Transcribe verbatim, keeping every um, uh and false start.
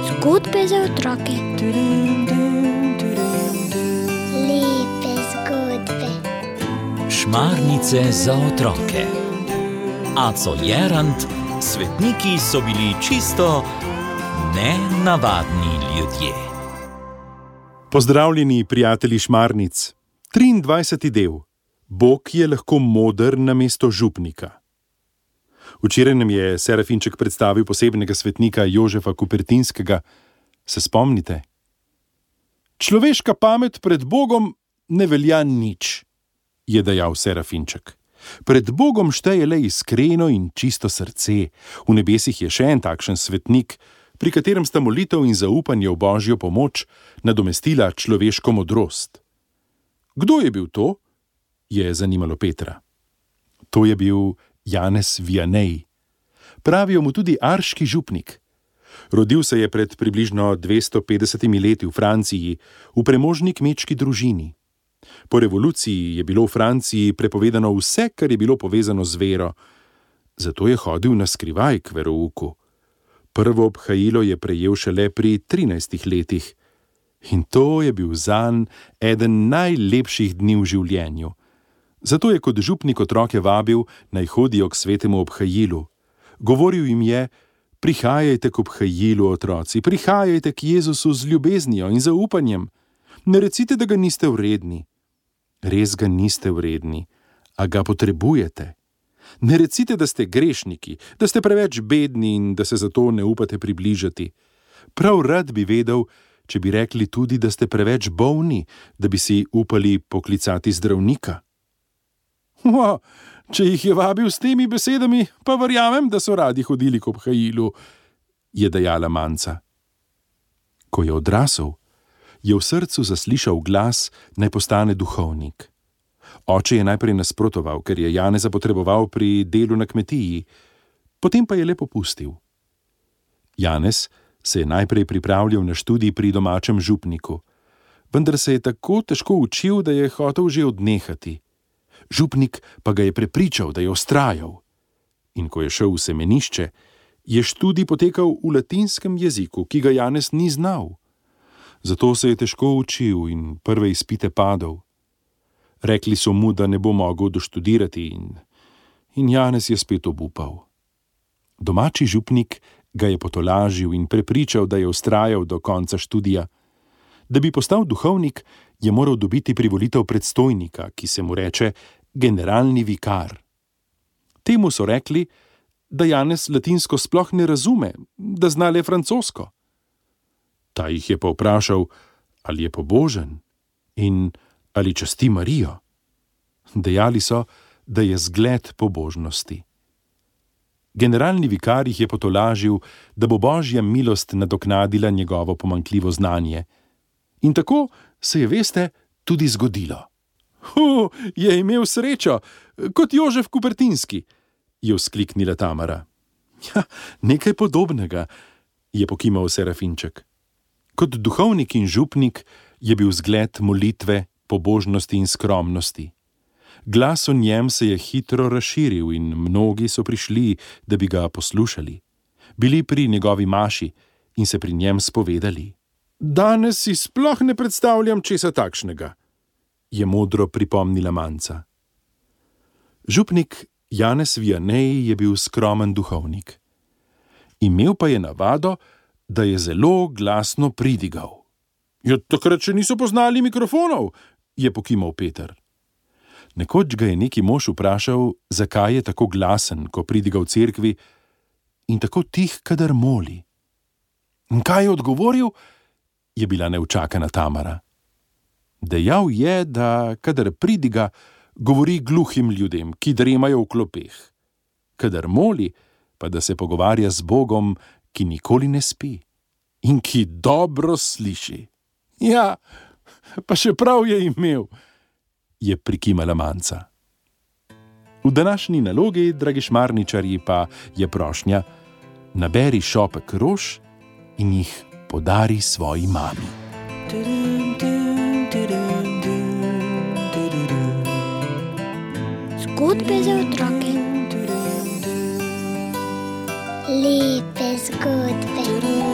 Zgodbe za otroke. Lepe zgodbe. Šmarnice za otroke. Aco Jerant, svetniki so bili čisto nenavadni ljudje. Pozdravljeni, prijatelji šmarnic. triindvajseti del. Bog je lahko moder namesto župnika. Včeraj nam je Serafinček predstavil posebnega svetnika Jožefa Kupertinskega. Se spomnite? Človeška pamet pred Bogom ne velja nič, je dejal Serafinček. Pred Bogom šteje le iskreno in čisto srce. V nebesih je še en takšen svetnik, pri katerem sta molitev in zaupanje v Božjo pomoč nadomestila človeško modrost. Kdo je bil to? Je zanimalo Petra. To je bil Janez Vianney. Pravijo mu tudi arški župnik. Rodil se je pred približno dvesto petdesetimi leti v Franciji, v premožni kmečki družini. Po revoluciji je bilo v Franciji prepovedano vse, kar je bilo povezano z vero. Zato je hodil na skrivaj k verouku. Prvo obhajilo je prejel šele pri trinajstih letih. In to je bil zanj eden najlepših dni v življenju. Zato je kot župnik otroke vabil, naj hodijo k svetemu obhajilu. Govoril jim je: prihajajte k obhajilu, otroci, prihajajte k Jezusu z ljubeznijo in zaupanjem. Ne recite, da ga niste vredni. Res ga niste vredni, a ga potrebujete. Ne recite, da ste grešniki, da ste preveč bedni in da se zato ne upate približati. Prav rad bi vedel, če bi rekli tudi, da ste preveč bolni, da bi si upali poklicati zdravnika. O, če jih je vabil s temi besedami, pa verjamem, da so radi hodili k obhajilu, je dejala Manca. Ko je odrasel, je v srcu zaslišal glas, naj postane duhovnik. Oče je najprej nasprotoval, ker je Janeza potreboval pri delu na kmetiji, potem pa je le popustil. Janez se je najprej pripravljal na študij pri domačem župniku, vendar se je tako težko učil, da je hotel že odnehati. Župnik pa ga je prepričal, da je vztrajal. In ko je šel v semenišče, je študij potekal v latinskem jeziku, ki ga Janez ni znal. Zato se je težko učil in prve izpite padel. Rekli so mu, da ne bo mogel doštudirati in, in Janez je spet obupal. Domači župnik ga je potolažil in prepričal, da je vztrajal do konca študija. Da bi postal duhovnik, je moral dobiti privolitev predstojnika, ki se mu reče generalni vikar. Temu so rekli, da Janez latinsko sploh ne razume, da zna le francosko. Ta jih je pa vprašal, ali je pobožen in ali časti Marijo. Dejali so, da je zgled pobožnosti. Generalni vikar jih je potolažil, da bo Božja milost nadoknadila njegovo pomanjkljivo znanje. In tako se je, veste, tudi zgodilo. Hu, je imel srečo, kot Jožef Kupertinski, je vzkliknila Tamara. Ja, nekaj podobnega, je pokimal Serafinček. Kot duhovnik in župnik je bil zgled molitve, pobožnosti in skromnosti. Glas o njem se je hitro razširil in mnogi so prišli, da bi ga poslušali. Bili pri njegovi maši in se pri njem spovedali. Danes si sploh ne predstavljam česa takšnega, je modro pripomnila Manca. Župnik Janez Vianney je bil skromen duhovnik. Imel pa je navado, da je zelo glasno pridigal. Ja, takrat še niso poznali mikrofonov, je pokimal Peter. Nekoč ga je neki mož vprašal, zakaj je tako glasen, ko pridiga v cerkvi, in tako tih, kadar moli. In kaj je odgovoril? Je bila neučakana Tamara. Dejal je, da kadar pridiga, govori gluhim ljudem, ki dremajo v klopeh. Kadar moli, pa da se pogovarja z Bogom, ki nikoli ne spi in ki dobro sliši. Ja, pa še prav je imel, je prikimala Manca. V današnji nalogi, dragi šmarničarji, pa je prošnja: naberi šopek rož in jih podari svoji mami. Zgodbe za otroke. Lepe zgodbe.